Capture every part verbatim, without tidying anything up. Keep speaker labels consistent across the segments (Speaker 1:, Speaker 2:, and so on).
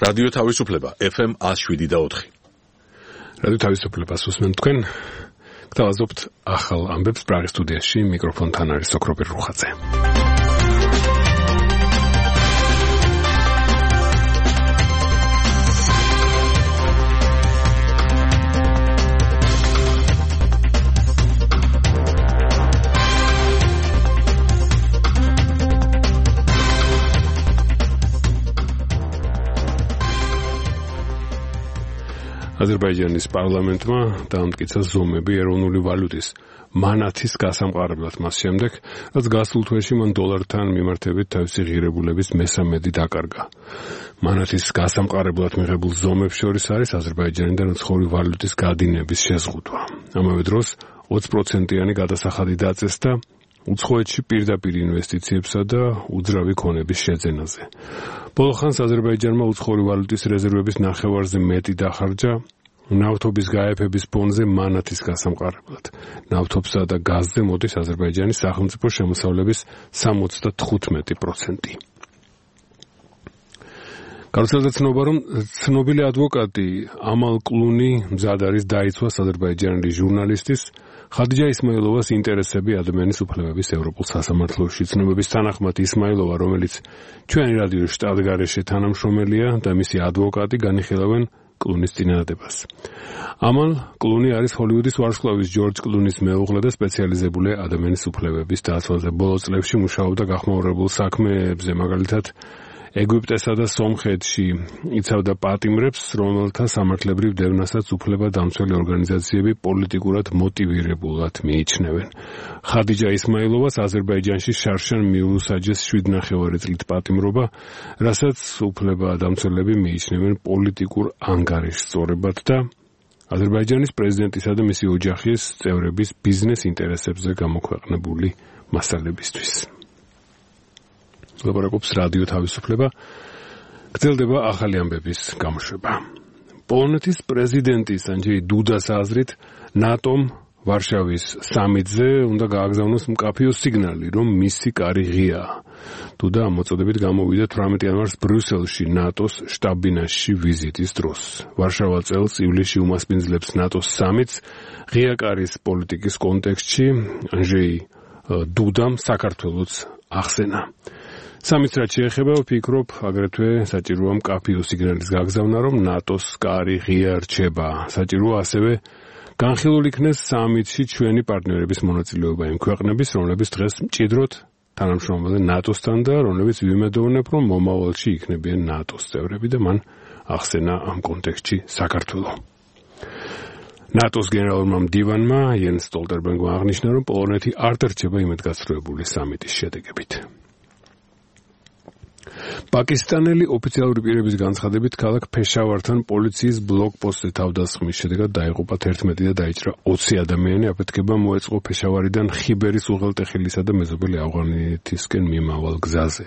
Speaker 1: რადიო თავისუფლება ეფ ემ one oh seven და four.
Speaker 2: რადიო თავისუფლებას უსმენთ თქვენ. გთავაზობთ ახალ ამბებს პრაღის სტუდიაში, მიკროფონთან არის სოკრობერ რუხაძე. აზერბაიჯანის პარლამენტმა დაამტკიცა ზომები ეროვნული ვალუტის მანათის გასამყარებლად მას შემდეგ, რაც გასულ თვეში მან დოლართან მიმართებით თავისი ღირებულების მესამედი დაკარგა. მანათის გასამყარებლად მიღებულ ზომებს შორის არის აზერბაიჯანიდან უცხოური ვალუტის გადინების შეზღუდვა. ამავე დროს twenty პროცენტიანი გადასახადი დაწესდა უცხოეთში პირდაპირ ინვესტიციებსა და უძრავი ქონების შეძენაზე. ბოლო ხანს აზერბაიჯანმა უცხოური ვალუტის რეზერვების ნახევარზე მეტი დახარჯა ნავთობის გაეფების ფონზე მანათის გასამყარებლად. ნავთობსა და გაზზე მოდის აზერბაიჯანის სახელმწიფო შემოსავლების seventy-five პროცენტი. გავრცელდა ცნობა, რომ ცნობილი ადვოკატი ამალ კლუნი მზად არის დაიცვას აზერბაიჯანელი ჟურნალისტის ხადიჯა ისმაილოვას ინტერესები ადამიანის უფლებების ევროპულ სასამართლოში. ცნობების თანახმად ისმაილოვა, რომელიც ჩვენი რადიოს შტატგარეშე თანამშრომელია და მისი ადვოკატი განიხილავენ კლუნის წინადადებას. ამალ კლუნი არის ჰოლივუდის ვარსკვლავის ჯორჯ კლუნის მეუღლე და სპეციალიზებული ადამიანის უფლებების დაცვაზე. ბოლო წლებში მუშაობდა გახმაურებულ საქმეებზე, მაგალითად ეგვიპტესა და სომხეთში იცავდა პატიმრებს, რომელთა სამართლებრივ დევნასაც უფლება-დამცველი ორგანიზაციები პოლიტიკურად მოტივირებულად მიიჩნევენ. ხადიჯა ისმაილოვას აზერბაიჯანში შარშან მიულუსაჯეს seven წლით პატიმრობა, რასაც უფლება-დამცველები მიიჩნევენ პოლიტიკურ ანგარიშსწორებად და აზერბაიჯანის პრეზიდენტისა და მისი ოჯახის წევრების ბიზნეს ინტერესებზე გამოქვეყნებული მასალებისთვის. ლაპარაკობს რადიო თავისუფლება, გრძელდება ახალი ამბების გამოშვება. პოლონეთის პრეზიდენტის ანჯეი დუდას აზრით, ნატომ ვარშავის სამიტზე უნდა გააგზავნოს მკაფიო სიგნალი, რომ მისი კარი ღიაა. დუდა ამ მოწოდებით გამოვიდა eighteen იანვარს ბრიუსელში ნატოს შტაბ-ბინაში ვიზიტის დროს. ვარშავა წელს ივლისში უმასპინძლებს ნატოს სამიტს ღია კარის პოლიტიკის კონტექსტში, ანჯეი დუდამ საქართველოს ახსენა. სამიც რაც შეეხება, ვფიქრობ, აგრეთვე საჭიროა მკაფიო სიგნალის გაგზავნა, რომ ნატოს კარი ღია რჩება. საჭიროა ასევე განხილულ იქნეს სამიტში ჩვენი პარტნიორების მონაწილეობა იმ ქვეყნების, რომლებიც დღეს მჭიდროდ თანამშრომლობენ ნატოსთან და რომლებიც ვიმედოვნებ, რომ მომავალში იქნებიან ნატოს წევრები და მან ახსენა ამ კონტექსტში საქართველო. ნატოს გენერალურმა მდივანმა იენს სტოლტენბერგმა აღნიშნა, რომ პოლონეთი არ დარჩება იმედგაცრუებული სამიტის შედეგებით. პაკისტანელი ოფიციალური პირების განცხადებით, ქალაქ ფეშავართან პოლიციის ბლოკპოსტზე თავდასხმის შედეგად დაიღუპა eleven და დაიჭრა twenty ადამიანი. აფეთქება მოეწყო ფეშავარიდან ხიბერის უღელტეხილისა და მეზობელი ავღანეთისკენ მიმავალ გზაზე.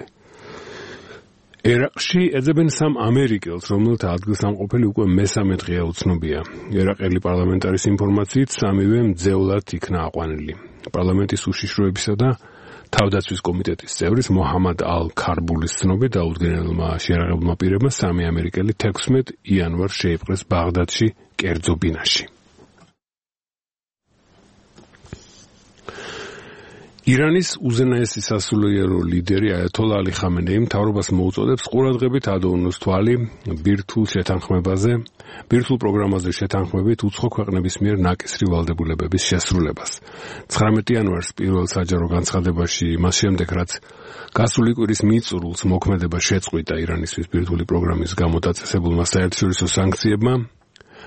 Speaker 2: ერაყში ეძებენ სამ ამერიკელს, რომელთა ადგილსამყოფელი უკვე მესამე დღეა უცნობია. ერაყელი პარლამენტარის ინფორმაციით, სამივე მძევლად იქნა აყვანილი. პარლამენტის უშიშროებისა და თავდაცვის კომიტეტის წევრის მოჰამად ალ-ქარბულის ცნობით დაუდგენელმა შეიარაღებულმა პირებმა სამი ამერიკელი sixteen იანვარს შეიპყრეს ბაღდადში კერძო ბინაში. ირანის უზენაესი სასულიერო ლიდერი აიათოლა ალი ხამენეი მთავრობას მოუწოდებს ყურადღებით ადევნოს თვალი ბირთვულ შეთანხმებაზე, ბირთვულ პროგრამაზე შეთანხმებით უცხო ქვეყნების მიერ ნაკისრი ვალდებულებების შესრულებას. nineteen იანვარს პირველ საჯარო განცხადებაში, მას შემდეგ რაც გასული კვირის მიწურულს მოქმედება შეწყვიტა ირანისთვის ბირთვული პროგრამის გამო დაწესებულმა საერთაშორისო სანქციებმა,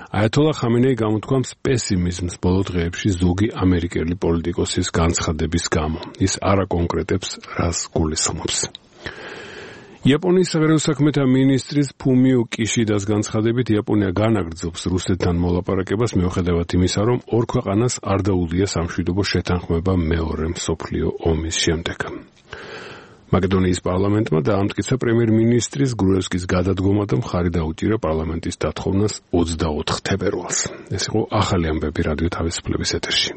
Speaker 2: აიათოლა ხამენეი გამოთქვამს პესიმიზმს ბოლო დღეებში ზოგი ამერიკელი პოლიტიკოსის განცხადების გამო. ის არ აკონკრეტებს, რას გულისხმობს. იაპონიის საგარეო საქმეთა მინისტრის ფუმიო კიშიდას განცხადებით, იაპონია განაგრძობს რუსეთთან მოლაპარაკებას მიუხედავად იმისა, რომ ორ ქვეყანას არ დაუდია სამშვიდობო შეთანხმება მეორე მსოფლიო ომის შემდეგ. მაკედონიის პარლამენტმა დაამტკიცა პრემიერ-მინისტრის გრუევსკის გადადგომა და მხარი დაუჭირა პარლამენტის დათხოვნას twenty-four თებერვალს. ეს იყო ახალი ამბები რადიო თავისუფლების ეთერში.